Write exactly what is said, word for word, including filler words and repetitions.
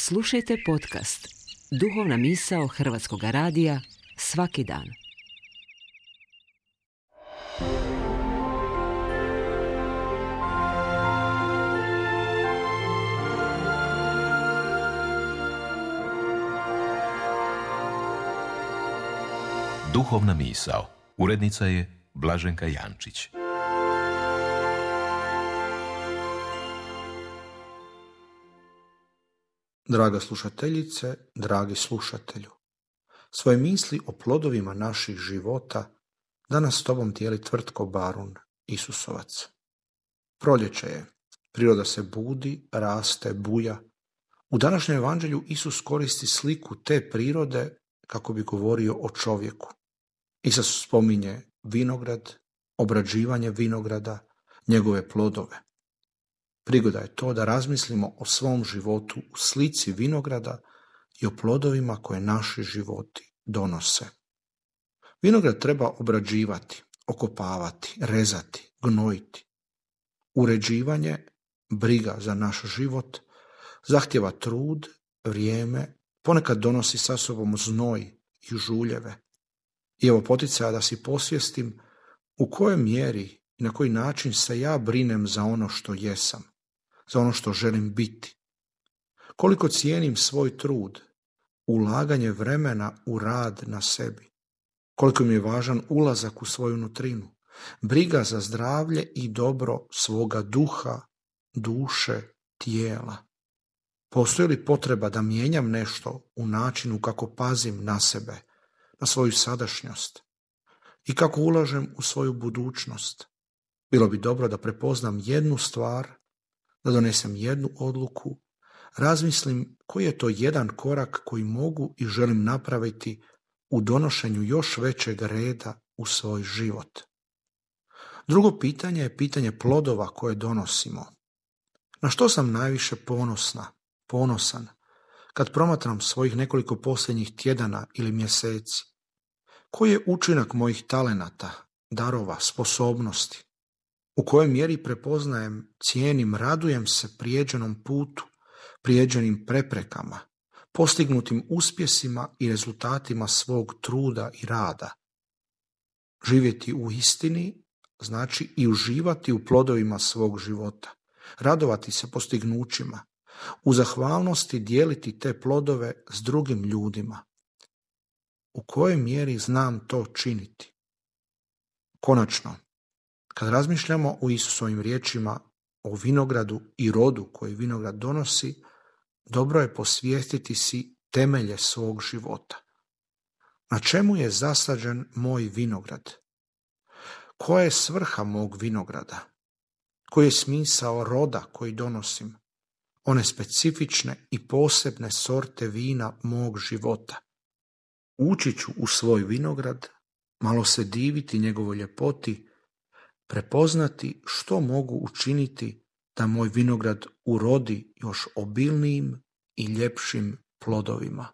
Slušajte podcast Duhovna misao Hrvatskog radija svaki dan. Duhovna misao. Urednica je Blaženka Jančić. Draga slušateljice, dragi slušatelju, svoje misli o plodovima naših života danas s tobom dijeli Tvrtko Barun, Isusovac. Proljeće je, priroda se budi, raste, buja. U današnjem evanđelju Isus koristi sliku te prirode kako bi govorio o čovjeku. Isus spominje vinograd, obrađivanje vinograda, njegove plodove. Prigoda je to da razmislimo o svom životu u slici vinograda i o plodovima koje naši životi donose. Vinograd treba obrađivati, okopavati, rezati, gnojiti. Uređivanje, briga za naš život, zahtjeva trud, vrijeme, ponekad donosi sa sobom znoj i žuljeve. I evo poticaja da si posvjestim u kojoj mjeri i na koji način se ja brinem za ono što jesam, za ono što želim biti. Koliko cijenim svoj trud, ulaganje vremena u rad na sebi. Koliko mi je važan ulazak u svoju nutrinu, briga za zdravlje i dobro svoga duha, duše, tijela. Postoji li potreba da mijenjam nešto u načinu kako pazim na sebe, na svoju sadašnjost i kako ulažem u svoju budućnost? Bilo bi dobro da prepoznam jednu stvar, da donesem jednu odluku, razmislim koji je to jedan korak koji mogu i želim napraviti u donošenju još većeg reda u svoj život. Drugo pitanje je pitanje plodova koje donosimo. Na što sam najviše ponosna, ponosan, kad promatram svojih nekoliko posljednjih tjedana ili mjeseci? Koji je učinak mojih talenata, darova, sposobnosti? U kojoj mjeri prepoznajem, cijenim, radujem se prijeđenom putu, prijeđenim preprekama, postignutim uspjesima i rezultatima svog truda i rada? Živjeti u istini znači i uživati u plodovima svog života, radovati se postignućima, u zahvalnosti dijeliti te plodove s drugim ljudima. U kojoj mjeri znam to činiti? Konačno, kad razmišljamo o Isusovim riječima o vinogradu i rodu koji vinograd donosi, dobro je posvijestiti si temelje svog života. Na čemu je zasađen moj vinograd? Koja je svrha mog vinograda? Koji je smisao roda koji donosim? One specifične i posebne sorte vina mog života. Ući ću u svoj vinograd, malo se diviti njegovoj ljepoti, prepoznati što mogu učiniti da moj vinograd urodi još obilnijim i ljepšim plodovima.